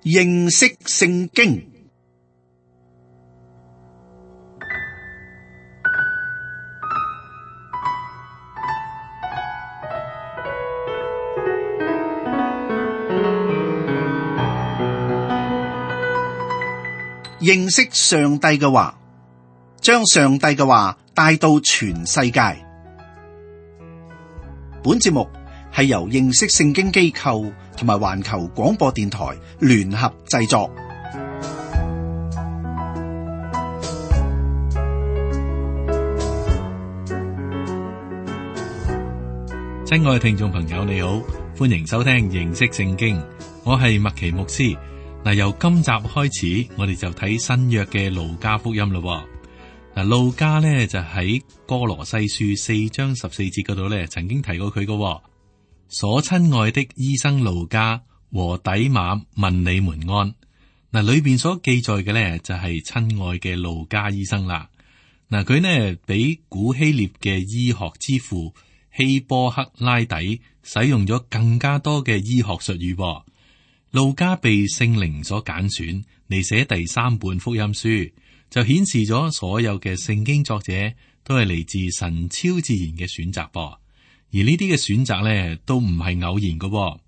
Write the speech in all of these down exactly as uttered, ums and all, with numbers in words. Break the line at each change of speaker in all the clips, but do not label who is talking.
認識聖經。認識上帝嘅話，將上帝嘅話帶到全世界。本節目係由認識聖經機構同埋環球廣播電台聯合製作。
親愛嘅聽眾朋友，你好，歡迎收聽認識聖經，我係麥奇牧師。嗱，由今集開始，我哋就睇新約嘅路加福音咯。嗱，路加咧就喺哥羅西書四章十四節嗰度咧，曾經提過佢嘅。所親愛的醫生路加和底馬問你們安。嗱，裏邊所記載嘅咧就係親愛嘅路加醫生啦。嗱，佢呢比古希臘嘅醫學之父希波克拉底使用咗更加多嘅醫學術語。路加被聖靈所揀選嚟寫第三本福音書，就顯示咗所有嘅聖經作者都係嚟自神超自然嘅選擇噃。而呢啲嘅選擇咧都唔係偶然嘅。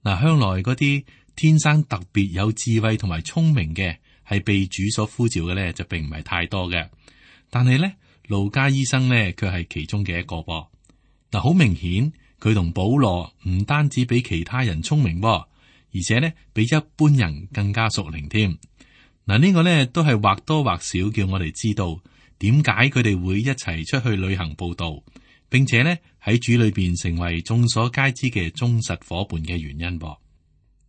嗱，向來嗰啲天生特別有智慧同埋聰明嘅，係被主所呼召嘅咧，就並唔係太多嘅。但係咧，路加醫生咧，佢係其中嘅一個噃。嗱，好明顯佢同保羅唔單止比其他人聰明噃，而且咧，比一般人更加屬靈添。嗱，呢個咧都係或多或少叫我哋知道點解佢哋會一齊出去旅行佈道，並且咧喺主裏邊成為眾所皆知嘅忠實夥伴嘅原因噃。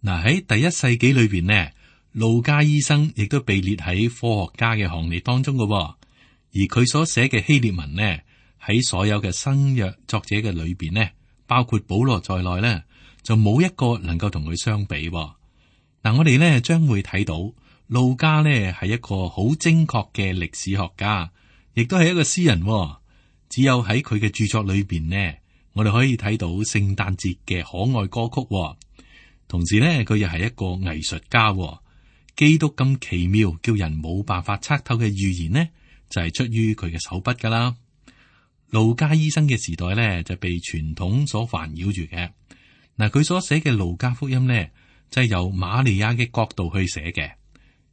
嗱，喺第一世紀裏邊呢，路加醫生亦都被列喺科學家嘅行列當中嘅，而佢所寫嘅希臘文呢，喺所有嘅新約作者嘅裏邊呢，包括保羅在內呢，就冇一個能夠同佢相比。嗱，我哋呢將會睇到路加呢係一個好精確嘅歷史學家，亦都係一個詩人。只有喺佢嘅著作裏邊呢，我哋可以睇到聖誕節嘅可愛歌曲。同時呢，佢又係一個藝術家。基督咁奇妙，叫人冇辦法測透嘅預言呢，就係出於佢嘅手筆噶啦。路加醫生嘅時代呢，就被傳統所煩擾住嘅。嗱，佢所寫嘅路加福音呢，就係由瑪利亞嘅角度去寫嘅。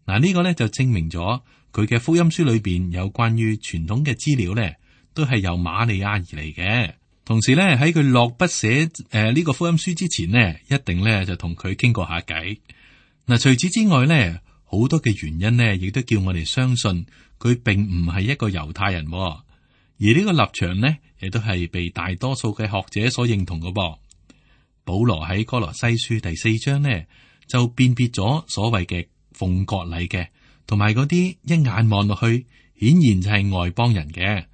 嗱，呢個呢，就證明咗佢嘅福音書裏邊有關於傳統嘅資料呢，都係由瑪利亞而嚟嘅。同時呢，喺佢落筆寫誒呢個福音書之前呢，一定呢就同佢傾過下偈。嗱，除此之外呢，好多嘅原因呢，亦都叫我哋相信佢並唔係一個猶太人。而呢個立場呢，亦都係被大多數嘅學者所認同嘅噃。保羅喺哥羅西書第四章呢，就辨別咗所謂嘅奉割禮嘅，同埋嗰啲一眼望落去顯然就係外邦人嘅。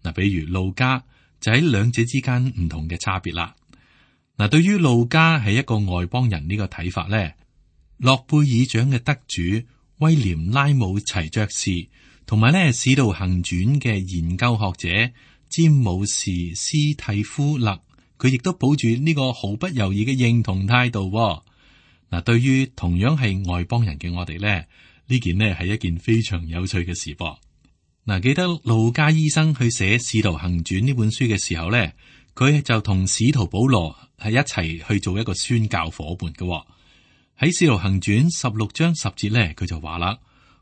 嗱，比如路加就喺兩者之間唔同嘅差別啦。嗱，對於路加係一個外邦人呢個睇法咧，諾貝爾獎嘅得主威廉拉姆齊爵士，同埋咧《使徒行傳》嘅研究學者詹姆士斯蒂夫勒，佢亦都抱住呢個毫不猶豫嘅認同態度。嗱，對於同樣係外邦人嘅我哋咧，呢件呢係一件非常有趣嘅事噃。嗱，記得路加醫生去寫《使徒行傳》呢本書嘅時候咧，佢就同使徒保羅係一齊去做一個宣教夥伴嘅。喺《使徒行傳》十六章十節咧，佢就話啦：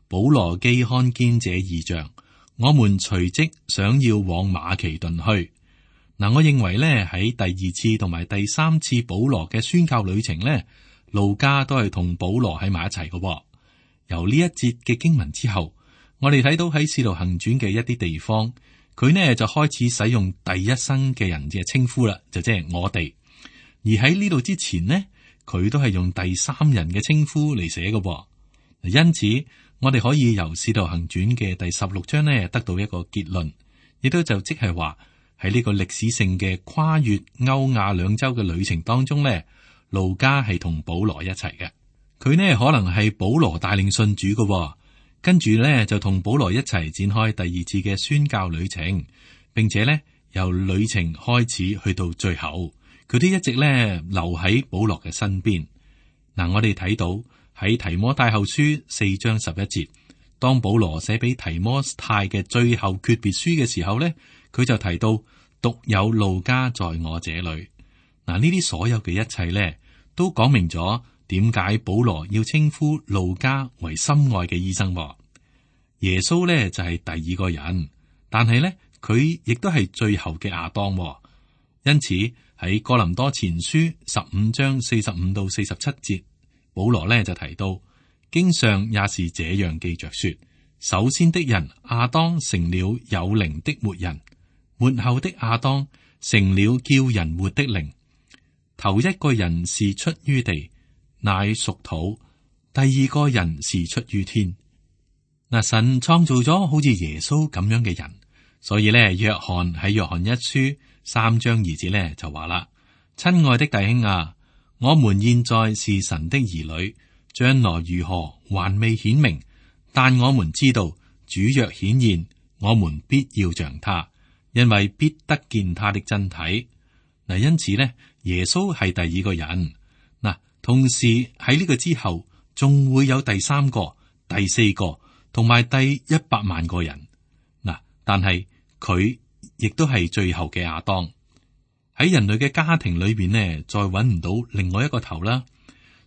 保羅既看見這異象，我們隨即想要往馬其頓去。嗱，我認為咧喺第二次同埋第三次保羅嘅宣教旅程咧，路加都係同保羅喺埋一齊嘅。由呢一節嘅經文之後，我哋睇到喺《使徒行傳》嘅一啲地方，佢呢就開始使用第一身嘅人嘅稱呼啦，就即係我哋。而喺呢度之前呢，佢都係用第三人嘅稱呼嚟寫嘅。因此，我哋可以由《使徒行傳》嘅第十六章呢得到一個結論，亦都就即係話喺呢個歷史性嘅跨越歐亞兩洲嘅旅程當中呢，路加係同保羅一齊嘅。佢呢可能係保羅帶領信主嘅。跟住咧就同保羅一齊展開第二次嘅宣教旅程，並且咧由旅程開始去到最後，佢都一直咧留喺保羅嘅身邊。嗱，我哋睇到喺提摩太後書四章十一節，當保羅寫俾提摩太嘅最後訣別書嘅時候咧，佢就提到獨有路加在我這裏。嗱，呢啲所有嘅一切咧，都講明咗點解保羅要稱呼路加為心愛嘅醫生。耶穌咧就係第二個人，但係咧佢亦都係最後嘅亞當。因此喺哥林多前書十五章四十五到四十七節，保羅咧就提到，經上也是這樣記着說：首先的人亞當成了有靈的活人，末後的亞當成了叫人活的靈。頭一個人是出於地，乃屬土；第二個人是出於天。嗱，神創造咗好似耶穌咁樣嘅人，所以咧，約翰喺約翰一書三章二節咧就話啦：親愛的弟兄啊，我們現在是神的兒女，將來如何還未顯明，但我們知道主若顯現，我們必要像他，因為必得見他的真體。嗱，因此咧，耶穌係第二個人。嗱，同時喺呢個之後，仲會有第三個、第四個。同埋第一百萬個人嗱，但係佢亦都係最後嘅亞當。喺人類嘅家庭裏邊呢，再揾唔到另外一個頭啦。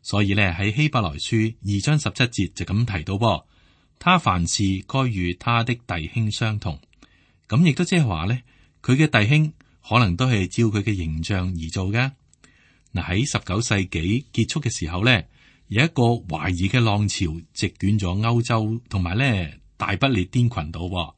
所以咧，喺希伯來書二章十七節就咁提到噃，他凡事該與他的弟兄相同。咁亦都即係話咧，佢嘅弟兄可能都係照佢嘅形象而做嘅。嗱，喺十九世紀結束嘅時候咧，有一個懷疑嘅浪潮席捲咗歐洲，同埋咧大不列顛群島。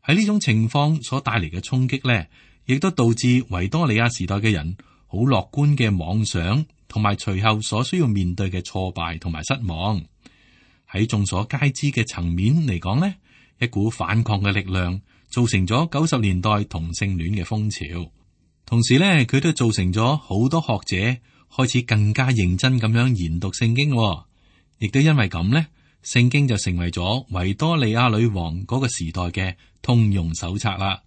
喺呢種情況所帶嚟嘅衝擊咧，亦都導致維多利亞時代嘅人好樂觀嘅妄想，同埋隨後所需要面對嘅挫敗同埋失望。喺眾所皆知嘅層面嚟講咧，一股反抗嘅力量造成咗九十年代同性戀嘅風潮，同時咧佢都造成咗好多學者開始更加認真咁樣研讀聖經，亦都因為咁咧，聖經就成為咗維多利亞女王嗰個時代嘅通用手冊啦。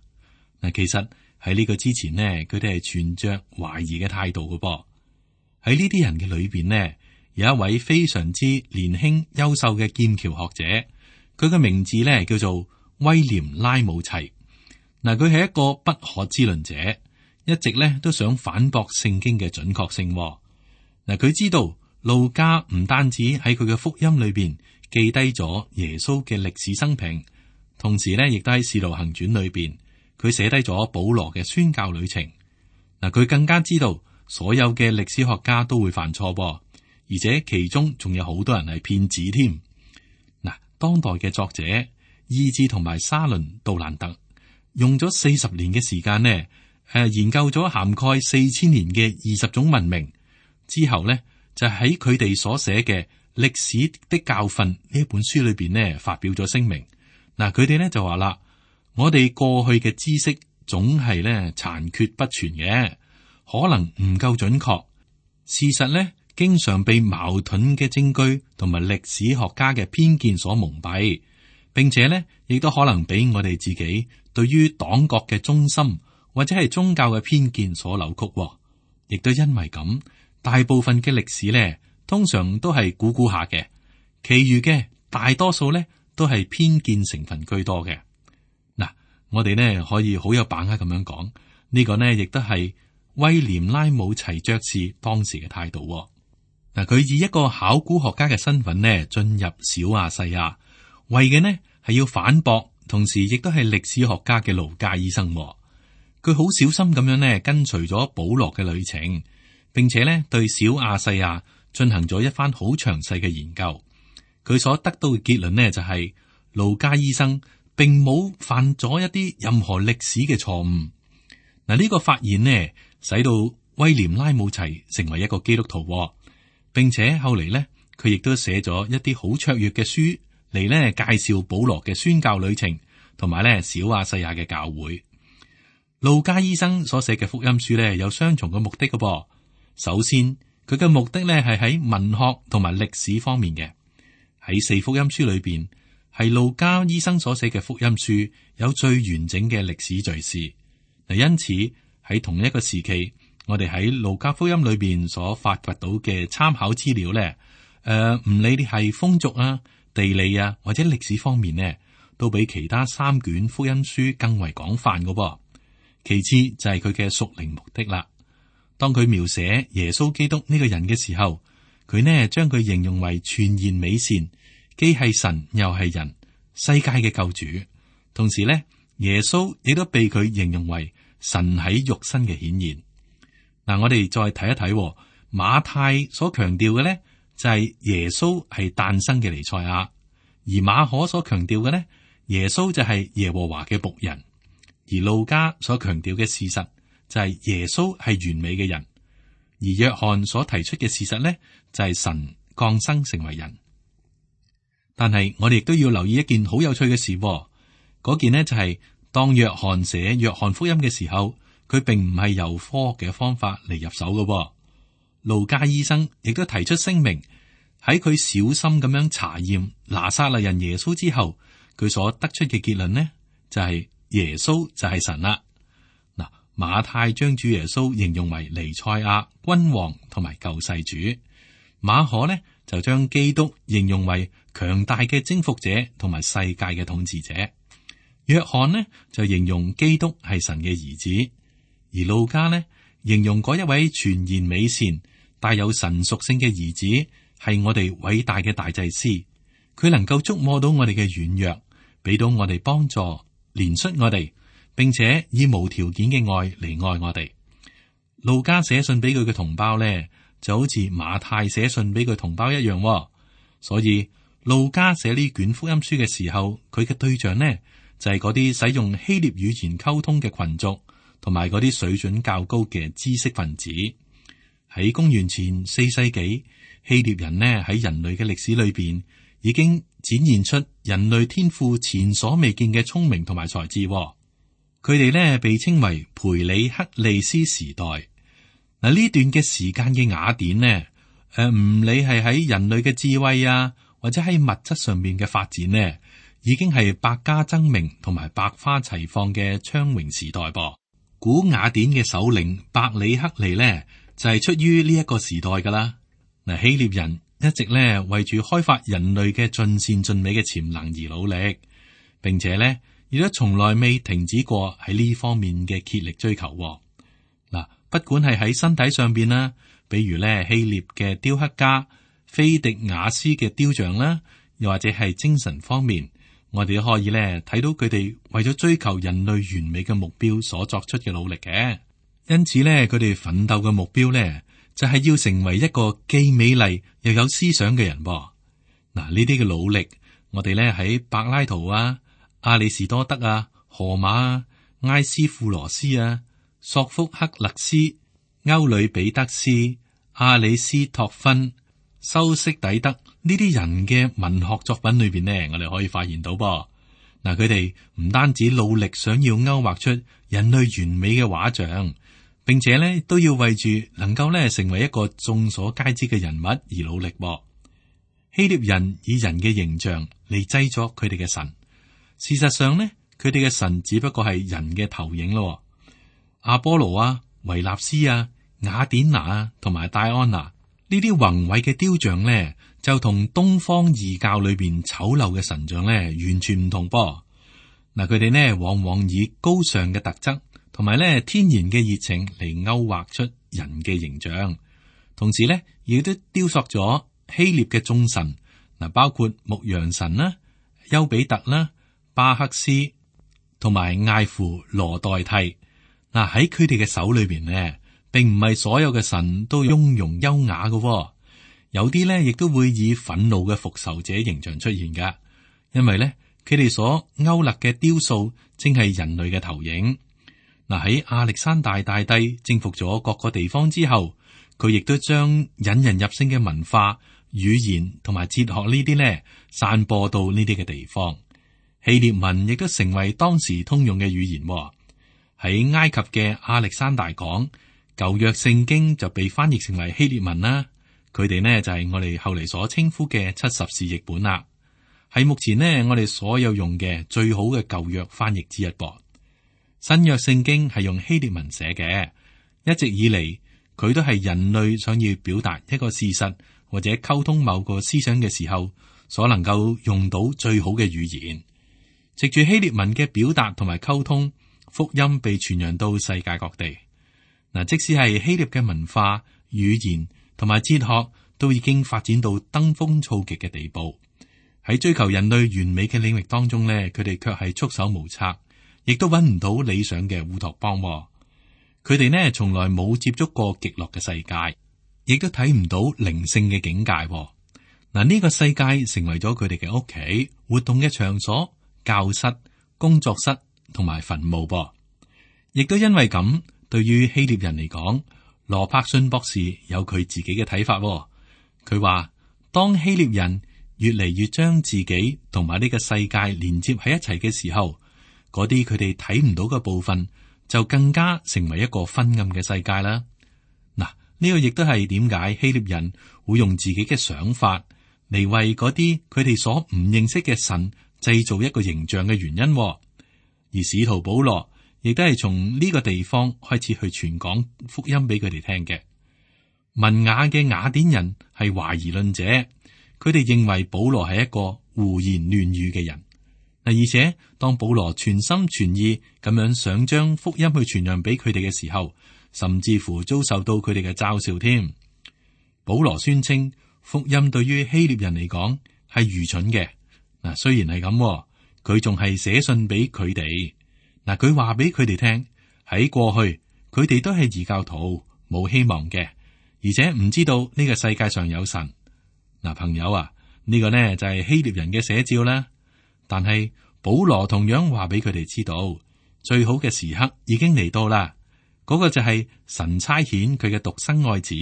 嗱，其實喺呢個之前呢，佢哋係存着懷疑嘅態度嘅噃。喺呢啲人嘅裏邊呢，有一位非常之年輕優秀嘅劍橋學者，佢嘅名字咧叫做威廉拉姆齊。嗱，佢係一個不可知論者。一直咧都想反駁聖經嘅準確性。嗱，佢知道路加唔單止喺佢嘅福音裏邊記低咗耶穌嘅歷史生平，同時咧亦都喺使徒行傳裏邊佢寫低咗保羅嘅宣教旅程。嗱，佢更加知道所有嘅歷史學家都會犯錯，而且其中仲有好多人係騙子添。嗱，當代嘅作者伊茲同埋沙倫杜蘭特用咗四十年嘅時間呢，誒，研究咗涵蓋四千年嘅二十種文明之後咧，就喺佢哋所寫嘅《歷史的教訓》呢一本書裏邊呢，發表咗聲明。嗱，佢哋咧就話啦，我哋過去嘅知識總係咧殘缺不全嘅，可能唔夠準確。事實咧，經常被矛盾嘅證據同埋歷史學家嘅偏見所蒙蔽，並且咧亦都可能俾我哋自己對於黨國嘅忠心，或者係宗教嘅偏見所扭曲，亦都因為咁，大部分嘅歷史咧，通常都係估估下嘅，其餘嘅大多數咧都係偏見成分居多嘅。嗱，我哋呢可以好有把握咁樣講，呢個呢亦都係威廉拉姆齊爵士當時嘅態度。嗱，佢以一個考古學家嘅身份呢進入小亞細亞，為嘅呢係要反駁，同時亦都係歷史學家嘅盧加醫生。佢好小心咁樣呢，跟隨咗保羅嘅旅程，並且呢對小亞細亞進行咗一番好詳細嘅研究。佢所得到嘅結論呢，就係、是、盧加醫生並冇犯咗一啲任何歷史嘅錯誤。嗱，呢個發現呢，使到威廉拉姆齊成為一個基督徒，並且後嚟呢，佢亦都寫咗一啲好卓越嘅書嚟呢介紹保羅嘅宣教旅程，同埋呢小亞細亞嘅教會。路加醫生所寫嘅福音書咧，有雙重嘅目的嘅噃。首先，佢嘅目的咧係喺文學同埋歷史方面嘅。喺四福音書裏邊，係路加醫生所寫嘅福音書有最完整嘅歷史敘事。嗱，因此喺同一個時期，我哋喺路加福音裏邊所發掘到嘅參考資料咧，誒，唔理你係風俗啊、地理啊或者歷史方面呢，都比其他三卷福音書更為廣泛噶噃。其次就係佢嘅屬靈目的啦。當佢描寫耶穌基督呢個人嘅時候，佢呢將佢形容為全然美善，既係神又係人，世界嘅救主。同時呢，耶穌亦都被佢形容為神喺肉身嘅顯現。嗱，我哋再睇一睇馬太所強調嘅呢，就係耶穌係誕生嘅彌賽亞，而馬可所強調嘅呢，耶穌就係耶和華嘅僕人。而路加所強調嘅事實就係耶穌係完美嘅人，而約翰所提出嘅事實呢，就係神降生成為人。但係我哋亦都要留意一件好有趣嘅事，嗰件呢就係當約翰寫約翰福音嘅時候，佢並唔係由科學嘅方法嚟入手嘅。路加醫生亦都提出聲明，喺佢小心咁樣查驗拿撒勒人耶穌之後，佢所得出嘅結論呢，就係耶穌就係神啦。嗱，馬太將主耶穌形容為彌賽亞、君王同埋救世主，馬可呢就將基督形容為強大嘅征服者同埋世界嘅統治者。約翰呢就形容基督係神嘅兒子，而路加呢形容嗰一位全然美善、帶有神屬性嘅兒子係我哋偉大嘅大祭司，佢能夠觸摸到我哋嘅軟弱，俾到我哋幫助，憐恤我哋，並且以無條件嘅愛嚟愛我哋。路加寫信俾佢嘅同胞呢，就好似馬太寫信俾佢同胞一樣，所以路加寫呢卷福音書嘅時候，佢嘅對象呢就係嗰啲使用希臘語言溝通嘅群族，同埋嗰啲水準較高嘅知識分子。喺公元前四世紀，希臘人呢喺人類嘅歷史裏邊已經展現出人類天賦前所未見嘅聰明同埋才智。佢哋呢被稱為培里克利斯時代。嗱，呢段嘅時間嘅雅典呢，誒、呃、唔理係喺人類嘅智慧啊，或者喺物質上面嘅發展呢，已經係百家爭鳴同埋百花齊放嘅昌榮時代噃。古雅典嘅首領伯里克利呢，就係、是、出於呢一個時代噶啦。嗱，希臘人一直咧為住開發人類嘅盡善盡美嘅潛能而努力，並且咧亦都從來未停止過喺呢方面嘅竭力追求。嗱，不管係喺身體上邊啦，比如咧希臘嘅雕刻家菲迪亞斯嘅雕像啦，又或者係精神方面，我哋都可以咧睇到佢哋為咗追求人類完美嘅目標所作出嘅努力嘅。因此咧，佢哋奮鬥嘅目標咧，就係要成為一個既美麗又有思想嘅人噃。嗱，呢啲嘅努力，我哋咧喺柏拉圖啊、亞里士多德啊、荷馬啊、埃斯庫羅斯啊、索福克勒斯、歐呂比德斯、阿里斯托芬、修昔底德呢啲人嘅文學作品裏邊呢，我哋可以發現到噃。嗱，佢哋唔單止努力想要勾畫出人類完美嘅畫像，並且咧都要為住能夠咧成為一個眾所皆知嘅人物而努力。希臘人以人嘅形象嚟製作佢哋嘅神，事實上呢，佢哋嘅神只不過係人嘅投影咯。阿波羅啊、維納斯啊、雅典娜啊同埋戴安娜呢啲宏偉嘅雕像咧，就同東方異教裏邊醜陋嘅神像咧完全唔同噃。嗱，佢哋呢往往以高尚嘅特質同埋咧天然嘅熱情嚟勾畫出人嘅形象，同時咧亦都雕塑咗希臘嘅眾神，嗱，包括牧羊神啦、丘比特啦、巴克斯同埋艾芙羅代替。嗱，喺佢哋嘅手裏邊呢，並唔係所有嘅神都雍容優雅嘅，有啲咧亦都會以憤怒嘅復仇者形象出現噶，因為咧佢哋所勾勒嘅雕塑正係人類嘅投影。嗱，喺亞歷山大大帝征服咗各個地方之後，佢亦都將引人入勝嘅文化、語言同埋哲學呢啲咧散播到呢啲嘅地方。希臘文亦都成為當時通用嘅語言。喺埃及嘅亞歷山大講舊約聖經就被翻譯成為希臘文啦。佢哋呢就係我哋後嚟所稱呼嘅七十士譯本啦，係目前呢我哋所有用嘅最好嘅舊約翻譯之一噃。新約聖經係用希臘文寫嘅，一直以嚟佢都係人類想要表達一個事實或者溝通某個思想嘅時候，所能夠用到最好嘅語言。藉住希臘文嘅表達同埋溝通，福音被傳揚到世界各地。嗱，即使係希臘嘅文化、語言同埋哲學，都已經發展到登峰造極嘅地步。喺追求人類完美嘅領域當中呢，佢哋卻係束手無策，亦都揾唔到理想嘅烏托邦。佢哋呢，從來冇接觸過極樂嘅世界，亦都睇唔到靈性嘅境界。嗱，呢個世界成為咗佢哋嘅屋企、活動嘅場所、教室、工作室同埋墳墓噃。亦都因為咁，對於希臘人嚟講，羅柏遜博士有佢自己嘅睇法。佢話，當希臘人越嚟越將自己同埋呢個世界連接喺一齊嘅時候，嗰啲佢哋睇唔到嘅部分就更加成為一個昏暗嘅世界啦。嗱，呢個亦都係點解希臘人會用自己嘅想法嚟為嗰啲佢哋所唔認識嘅神製造一個形象嘅原因。而使徒保羅亦都係從呢個地方開始去傳講福音俾佢哋聽嘅。文雅嘅雅典人係懷疑論者，佢哋認為保羅係一個胡言亂語嘅人。嗱，而且當保羅全心全意咁樣想將福音去傳揚俾佢哋嘅時候，甚至乎遭受到佢哋嘅嘲笑添。保羅宣稱福音對於希臘人嚟講係愚蠢嘅。嗱，雖然係咁，佢仲係寫信俾佢哋。嗱，佢話俾佢哋聽，喺過去佢哋都係異教徒，冇希望嘅，而且唔知道呢個世界上有神。嗱，朋友啊，呢個呢就係希臘人嘅寫照啦。但係保羅同樣話俾佢哋知道，最好嘅時刻已經嚟到啦。嗰個就係神差遣佢嘅獨生愛子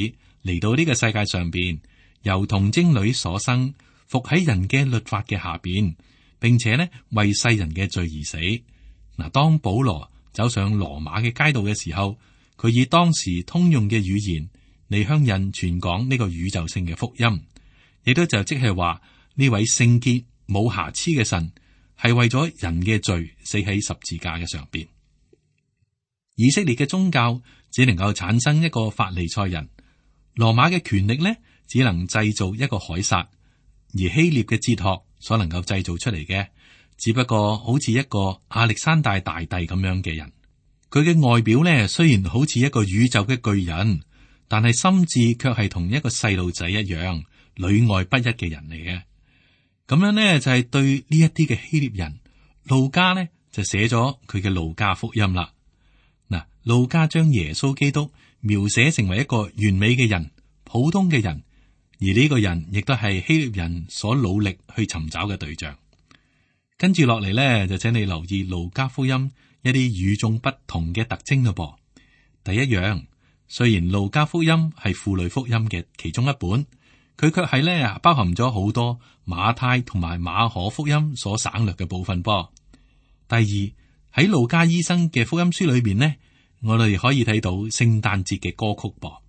嚟到呢個世界上邊，由童貞女所生，伏喺人嘅律法嘅下邊，並且呢為世人嘅罪而死。嗱，當保羅走上羅馬嘅街道嘅時候，佢以當時通用嘅語言嚟向人傳講呢個宇宙性嘅福音，亦都就即係話呢位聖潔冇瑕疵嘅神係為咗人嘅罪死喺十字架嘅上邊。以色列嘅宗教只能夠產生一個法利賽人，羅馬嘅權力呢只能製造一個凱撒，而希臘嘅哲學所能夠製造出嚟嘅，只不過好似一個亞歷山大大帝咁樣嘅人。佢嘅外表呢雖然好似一個宇宙嘅巨人，但係心智卻係同一個細路仔一樣，裏外不一嘅人嚟嘅。咁樣呢就係、是、對呢一啲嘅希臘人，路加呢就寫咗佢嘅路加福音啦。嗱，路加將耶穌基督描寫成為一個完美嘅人、普通嘅人，而呢個人亦都係希臘人所努力去尋找嘅對象。跟住落嚟呢，就請你留意路加福音一啲與眾不同嘅特徵咯噃。第一樣，雖然路加福音係婦女福音嘅其中一本，佢卻係咧包含咗好多馬太同埋馬可福音所省略嘅部分噃。第二，喺路加醫生嘅福音書裏邊呢，我哋可以睇到聖誕節嘅歌曲噃。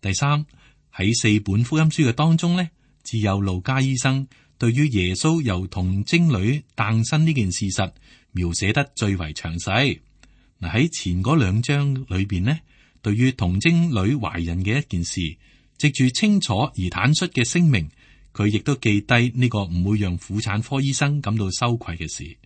第三，喺四本福音書嘅當中呢，只有路加醫生對於耶穌由童貞女誕生呢件事實描寫得最為詳細。嗱，喺前嗰兩章裏邊呢，對於童貞女懷孕嘅一件事，藉住清楚而坦率嘅聲明，佢亦都記低呢個唔會讓婦產科醫生感到羞愧嘅事。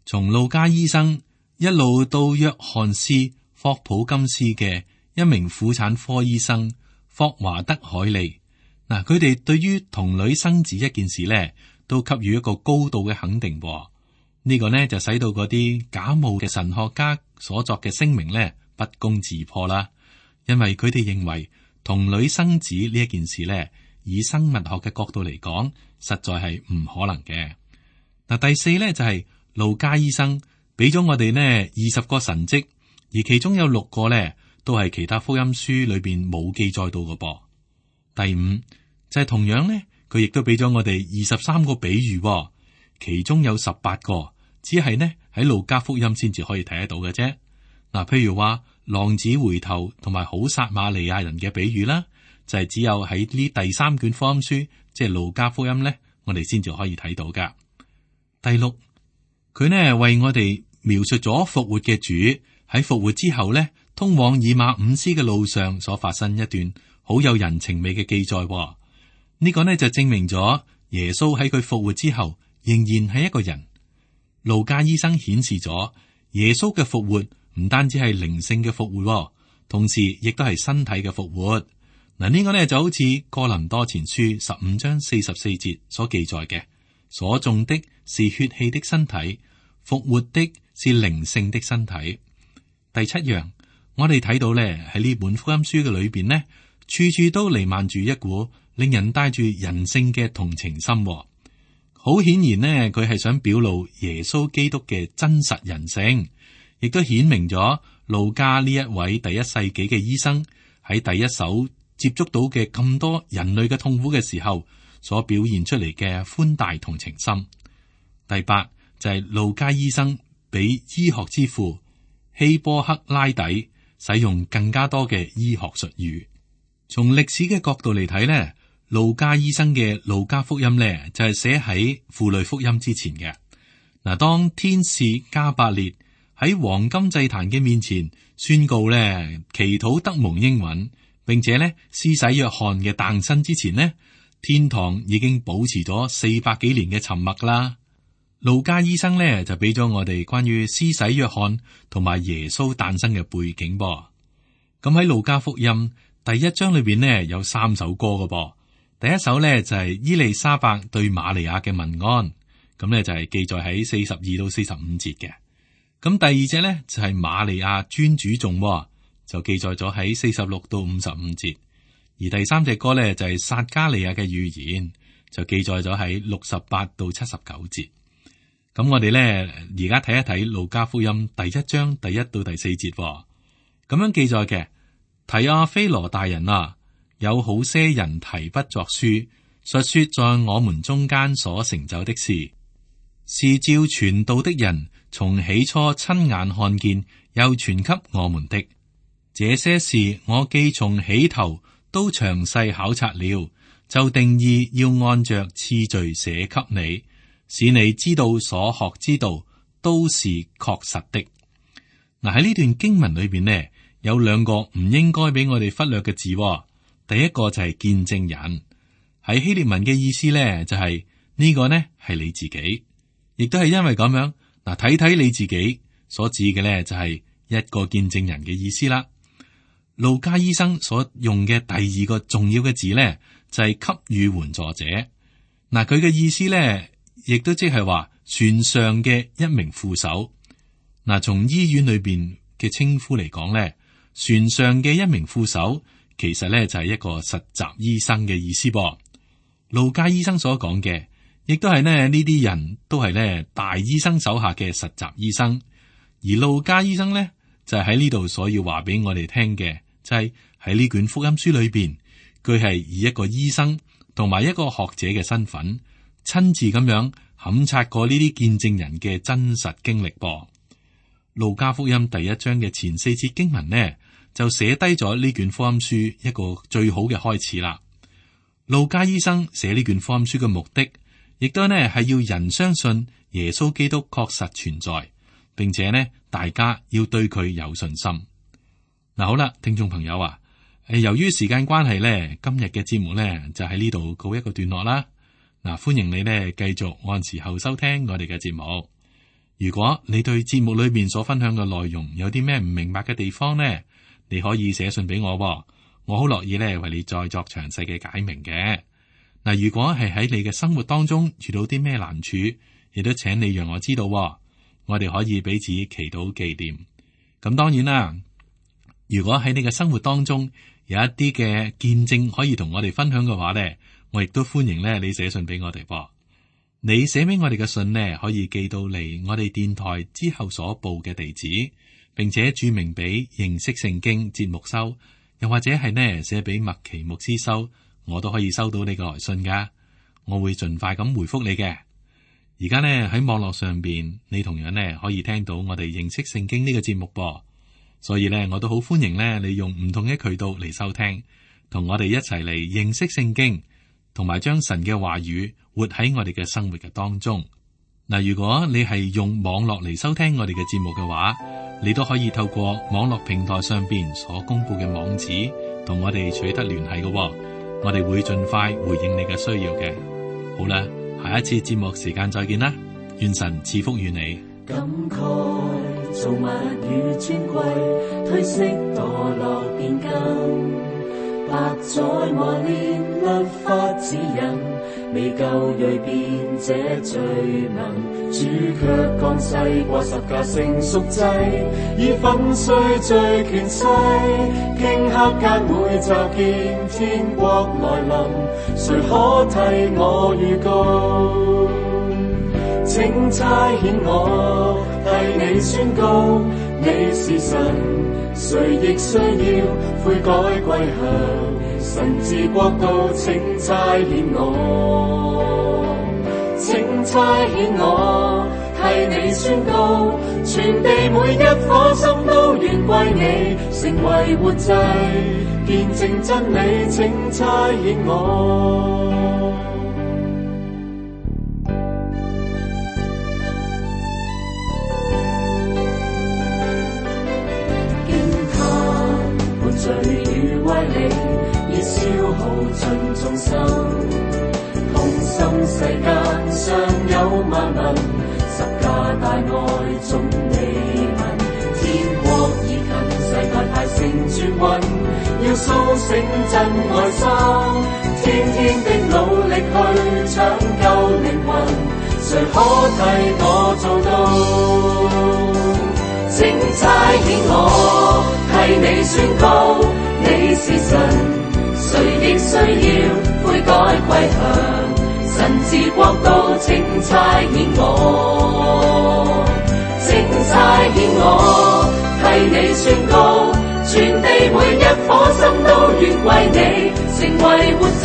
從路加醫生一路到約翰斯霍普金斯嘅一名婦產科醫生霍華德海利，嗱，佢哋對於童女生子一件事呢，都給予一個高度嘅肯定。呢個呢就使到嗰啲假冒嘅神學家所作嘅聲明呢不攻自破啦，因為佢哋認為童女生子呢一件事呢，以生物學嘅角度嚟講，實在係唔可能嘅。嗱，第四呢就係、是、路加醫生俾咗我哋呢二十個神蹟，而其中有六個呢都係其他福音書裏邊冇記載到嘅噃。第五就係、是、同樣呢，佢亦都俾咗我哋二十三個比喻，其中有十八個只係呢喺路加福音先至可以睇得到嘅啫。嗱，譬如話浪子回頭同埋好撒瑪利亞人嘅比喻啦，就係、是、只有喺呢第三卷福音書，即係路加福音呢，我哋先至可以睇到噶。第六，佢呢為我哋描述咗復活嘅主喺復活之後呢，通往以馬忤斯嘅路上所發生一段好有人情味嘅記載。呢個呢就證明咗耶穌喺佢復活之後仍然係一個人。路加醫生顯示咗耶穌嘅復活唔單止係靈性嘅復活，同時亦都係身體嘅復活。嗱，呢個呢就好似哥林多前書十五章四十四節所記載嘅，所種的是血氣的身體，復活的是靈性的身體。第七樣，我哋睇到咧喺呢本福音書嘅裏邊呢，處處都彌漫住一股令人帶住人性嘅同情心。好顯然呢，佢係想表露耶穌基督嘅真實人性，亦都顯明咗路加呢一位第一世紀嘅醫生喺第一手接觸到嘅咁多人類嘅痛苦嘅時候，所表現出嚟嘅寬大同情心。第八就係、是、路加醫生比醫學之父希波克拉底使用更加多嘅醫學術語。從歷史嘅角度嚟睇呢，路加醫生嘅路加福音呢，就係寫喺婦女福音之前嘅。嗱，當天使加百列喺黃金祭壇嘅面前宣告呢，祈禱得蒙應允，並且呢施洗約翰嘅誕生之前呢，天堂已經保持咗四百幾年嘅沉默啦。路加醫生呢就俾咗我哋關於施洗約翰同埋耶穌誕生嘅背景噃。咁喺路加福音第一章裏邊呢有三首歌㗎噃。第一首呢就係、是、伊麗莎白對瑪利亞嘅問安，咁呢就係、是、記載喺四十二到四十五節嘅。咁第二隻呢就係、是、瑪利亞尊主頌，就記載咗喺四十六到五十五節。而第三隻歌呢就係、是、撒加利亞嘅預言，就記載咗喺六十八到七十九節。咁我哋咧而家睇一睇路加福音第一章第一到第四節，咁樣記載嘅。提阿非羅大人啊，有好些人提筆作書，述說在我們中間所成就的事，是照傳道的人從起初親眼看見，又傳給我們的。這些事我既從起頭都詳細考察了，就定意要按着次序寫給你，使你知道所學之道都是確實的。嗱，喺呢段經文裏邊呢，有兩個唔應該俾我哋忽略嘅字。第一個就係見證人，喺希臘文嘅意思呢，就係、是、呢個呢係你自己，亦都係因為咁樣嗱，睇睇你自己所指嘅呢，就係一個見證人嘅意思啦。路加醫生所用嘅第二個重要嘅字呢，就係、是、給予援助者。嗱，佢嘅意思呢，亦都即係話船上嘅一名副手。嗱，從醫院裏邊嘅稱呼嚟講咧，船上嘅一名副手其實咧就係一個實習醫生嘅意思噃。路加醫生所講嘅，亦都係咧呢啲人都係咧大醫生手下嘅實習醫生，而路加醫生咧就係喺呢度所要話俾我哋聽嘅，就係喺呢卷福音書裏邊，佢係以一個醫生同埋一個學者嘅身份，親自咁樣勘察過呢啲見證人嘅真實經歷噃。路加福音第一章嘅前四節經文呢，就寫低咗呢卷福音書一個最好嘅開始啦。路加醫生寫呢卷福音書嘅目的，亦都呢係要人相信耶穌基督確實存在，並且呢大家要對佢有信心。嗱，好啦，聽眾朋友啊，誒，由於時間關係呢，今日嘅節目呢就喺呢度告一個段落啦。嗱，歡迎你呢繼續按時候收聽我哋嘅節目。如果你對節目裏面所分享嘅內容有啲咩唔明白嘅地方呢，你可以寫信俾我，我好樂意咧為你再作詳細嘅解明嘅。嗱，如果係喺你嘅生活當中遇到啲咩難處，亦都請你讓我知道，我哋可以彼此祈禱紀念。咁當然啦，如果喺你嘅生活當中有一啲嘅見證可以同我哋分享嘅話咧，我亦都歡迎咧你寫信俾我哋噃。你寫俾我哋嘅信呢，可以寄到嚟我哋電台之後所報嘅地址，並且注明俾認識聖經節目收，又或者係呢寫俾麥奇牧師收，我都可以收到你嘅來信噶。我會盡快咁回覆你嘅。而家呢喺網絡上邊，你同樣呢可以聽到我哋認識聖經呢個節目噃，所以呢我都好歡迎呢你用唔同嘅渠道嚟收聽，同我哋一齊嚟認識聖經，同埋將神嘅話語活喺我哋嘅生活嘅當中。嗱，如果你係用網絡嚟收聽我哋嘅節目嘅話，你都可以透過網絡平台上邊所公布嘅網址，同我哋取得聯繫嘅。我哋會盡快回應你嘅需要嘅。好啦，下一次節目時間再見啦，願神賜福於你。
感慨造物與尊貴，褪色墮落變更，百載磨練律法指引，未夠銳變這罪能。主卻降世過十架成贖祭，以粉碎罪權勢，頃刻間會驟見天國來臨，誰可替我預告？請差遣我替你宣告，你是神，誰亦需要悔改歸向神治國度。請差遣我，請差遣我替你宣告，全地每一顆心都願歸你，成為活祭，見證真理。請差遣我。罪與歪理已消耗盡眾生，痛心世間尚有萬民，十架大愛總未聞，天國已近，世代太成絕運，要甦醒真愛心，天天的努力去搶救靈魂，誰可替我做到？請差遣我替你宣告，你是神，誰亦需要悔改歸向神治國度。請差遣我，請差遣我替你宣告，全地每一顆心都願歸你，成為活祭，